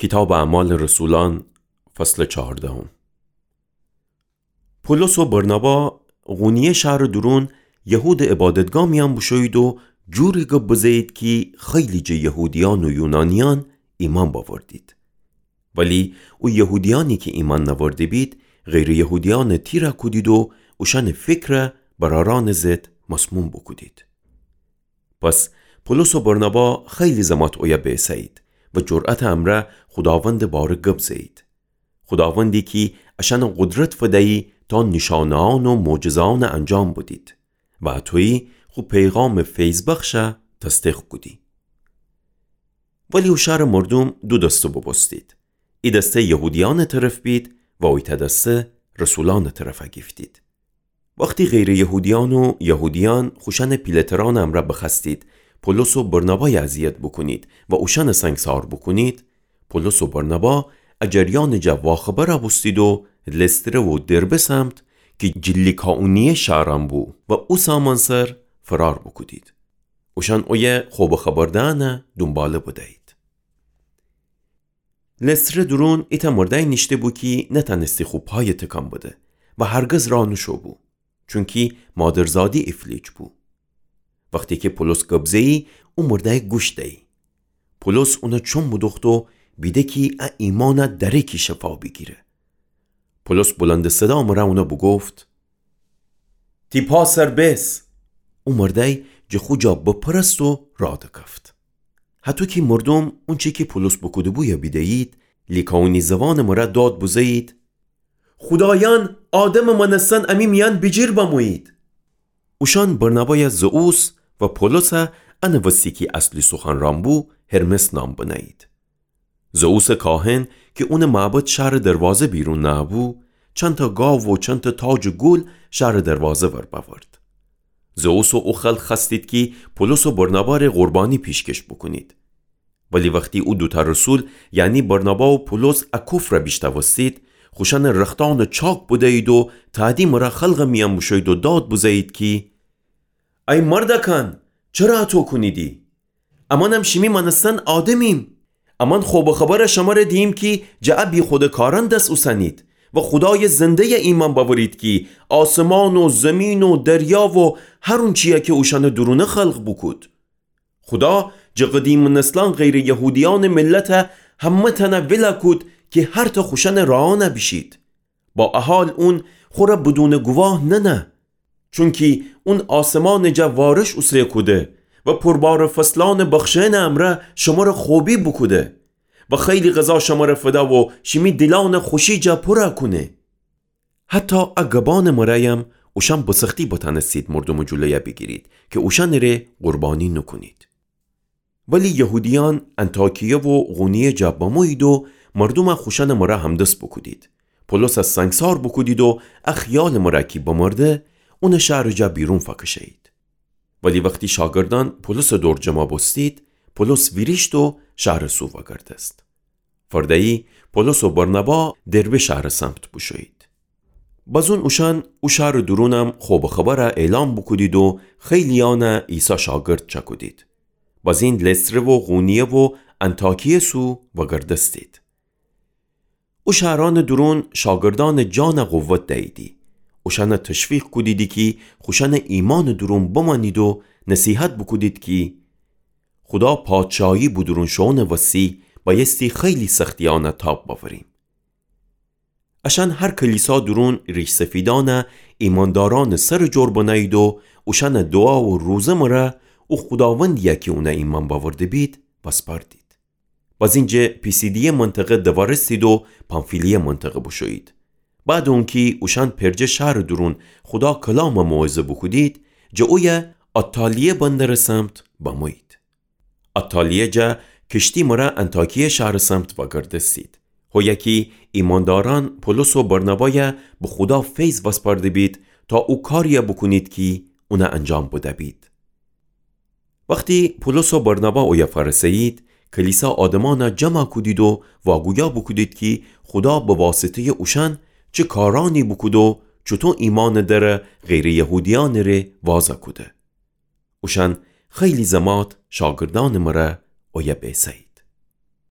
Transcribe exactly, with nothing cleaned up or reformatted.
کیتابٚ اعمالٚ رسولأن، فصلٚ چهاردهم. پولس و برنابا قونیه شهرٚ دورون یهودٚ عبادتگاه میأن بوشویید و جوری گب بزهیید کی خیلی جٚه یهودیأن و یونانیأن ایمأن بأوردید. ولی او یهودیأنی کی ایمأن نأورده بید، غیرٚ یهودیأنٚ تیرأ کودید و اوشأنٚ فکرأ برأرأنٚ ضد مسموم بوکودید. پس پولس و برنابا خیلی زمات اویه بیسهیید و جرأتٚ امرأ خوداوندٚ باره گب زهیید. خوداوندی کی اشأنٚ قدرت فدیی تا نیشأنه‌یأن و معجزه‌یأن انجام بدید و اطویی خو پیغامٚ فیض‌بخشَ تصدیق کودی. ولی او شهرٚ مردوم دو دسته بوبوستید. ای دسته یهودیأنٚ طرف بید و اویتأ دسته رسولأنٚ طرفَ گیفتید. وختی غیرٚ یهودیأن و یهودیأن خوشأنٚ پیله‌ترأنٚ امرأ بخوأستید پولس و برنابای اذیت بوکونید و اوشأنٚ سنگسار بوکونید، پولس و برنابا ا جریأنٚ جا واخبرَ بوستید و لستره و دربه سمت کی جٚه لیکائونیه شهرأن بو و او سامأنسر فرار بوکودید. اوشأن اویه خو به خبر دئنٚ دونباله بدیید. لستره دورون ایتأ مردأی نیشته بو کی نتأنستی خو پای تکان بده و هرگز راه نوشو بو، چونکی مادرزادی ایفلیج بو. وختی کی پولس گب زهیی، او مردأی گوش دیی. پولس اونَ چوم بدوخت و بیده کی ا ایمأنَ دأره کی شفا بیگیره. پولس بلندٚ صدا مرأ اونَ بوگفت: تی پا سر بیس! او مردأی جٚه خو جا بپرست و راه دکفت. هطو کی مردوم اونچی کی پولس بوکوده‌بویه بیدهیید، لیکائونی زبانٚ مرأ داد بزهیید: خودایأن آدمٚ مأنستن امی میأن بیجیر بمویید. اوشأن برنابای زئوس و پولسَ، انٚ وستی کی اصلی سخنرأن بو، هرمس نام بنهیید. زئوسٚ کاهن کی اونٚ معبد شهرٚ دروازه بیرون نهه‌بو، چندتأ گاو و چندتأ تاجٚ گل شهرٚ دروازه ور بأورد. زئوس و او خلق خوأستید کی پولس و برنابا ره قربانی پیشکش بوکونید. ولی وختی او دوتأ رسول، یعنی برنابا و پولس، ا کفرَ بیشنوستید، خوشأنٚ رختأنَ چاک بدیید و تأدی مرأ خلقٚ میأن بوشویید و داد بزهیید کی ای مردأکأن، چره اطو کونیدی؟ امأنم شیمی مأنستن آدمیم. امأن خو به خبرَ شمره دییم کی جٚه ا بیخودٚ کارأن دس اوسنید و خودایٚ زنده‌یَ ایمأن بأورید کی آسمان و زیمین و دریا و هر اونچی‌یَ کی اوشأنٚ دورونه خلق بوکود. خودا جٚه قدیمٚ نسلأن غیرٚ یهودیأنٚ ملتَ همه‌تأنَ ولَ کود کی هرتأ خوشأنٚ راهأنَ بیشید. با ا حال اون خوره بدونٚ گواه ننه. چونکی اون آسمانٚ جا وارش اوسه کوده و پربارٚ فصلأنٚ بخشئنٚ امرأ شمره خوبی بوکوده و خیلی غذا شمره فده و شیمی دیلأنٚ خوشی جا پورَ کونه. حتی ا گبأنٚ مرأیم اوشأن به سختی بتأنستید مردومٚ جلویَ بیگیرید کی اوشأنٚ ره قربانی نوکونید. ولی یهودیأن انطاکیه و قونیه جا بمویید و مردومَ خوشأنٚ مرأ همدس بوکودید. پولسَ سنگسار بوکودید و ا خیالٚ مرأ کی بمرده، اونَ شهرٚ جا بیرون فکشه‌یید. ولی وختی شاگردأن پولسٚ دور جمع بوستید، پولس ویریشت و شهرٚ سو وگردست. فرده‌یی پولس و برنابا دربه شهرٚ سمت بوشویید. بزون اوشأن او شهرٚ دورونم خو به خبرَ اعلام بوکودید و خیلی‌یأنَ عیسی شاگرد چأکودید. بزین لستره و قونیه و انطاکیه سو وگردستید. او شهرأنٚ دورون شاگردأنٚ جانَ قوت دییدی. اوشأنَ تشویق کودیدی کی خوشأنٚ ایمأنٚ دورون بمأنید و نصیحت بوکودید کی خودا پادشاهی به دورون شوئونٚ وسی بأیستی خیلی سختی‌یأنَ تاب بأوریم. اشأن هر کلیسا دورون ریش‌سفیدأنَ ایمأندارأنٚ سرٚ جور بنه‌یید و اوشأنَ دوعا و روزه مرأ او خوداوندی‌یَ کی اونَ ایمأن بأورده بید وسپاردید. بزین جٚه پیسیدیه منطقه دوأرستید و پامفیلیه منطقه بوشویید. بعدٚ اونکی اوشأن پرجه شهرٚ دورون خودا کلامَ موعظه بوکودید، جٚه اویه آتالیه بندرٚ سمت بمویید. آتالیه جا کشتی مرأ انطاکیه شهرٚ سمت وگردستید. هویه کی ایمأندارأن پولس و برنابایَ به خودا فیض وسپارده بید تا او کاریَ بوکونید کی اونَ انجام بده‌بید. وختی پولس و برنابا اویه فأرسه‌یید، کلیسا آدمأنَ جمع کودید و واگویا بوکودید کی خودا به واسطه‌یٚ اوشأن چه کارأنی بوکود و چوطو ایمأنٚ درَ غیرٚ یهودیأنٚ ره وازَ کوده. اوشأن خیلی زمات شاگردأنٚ مرأ اویه بیسه‌یید.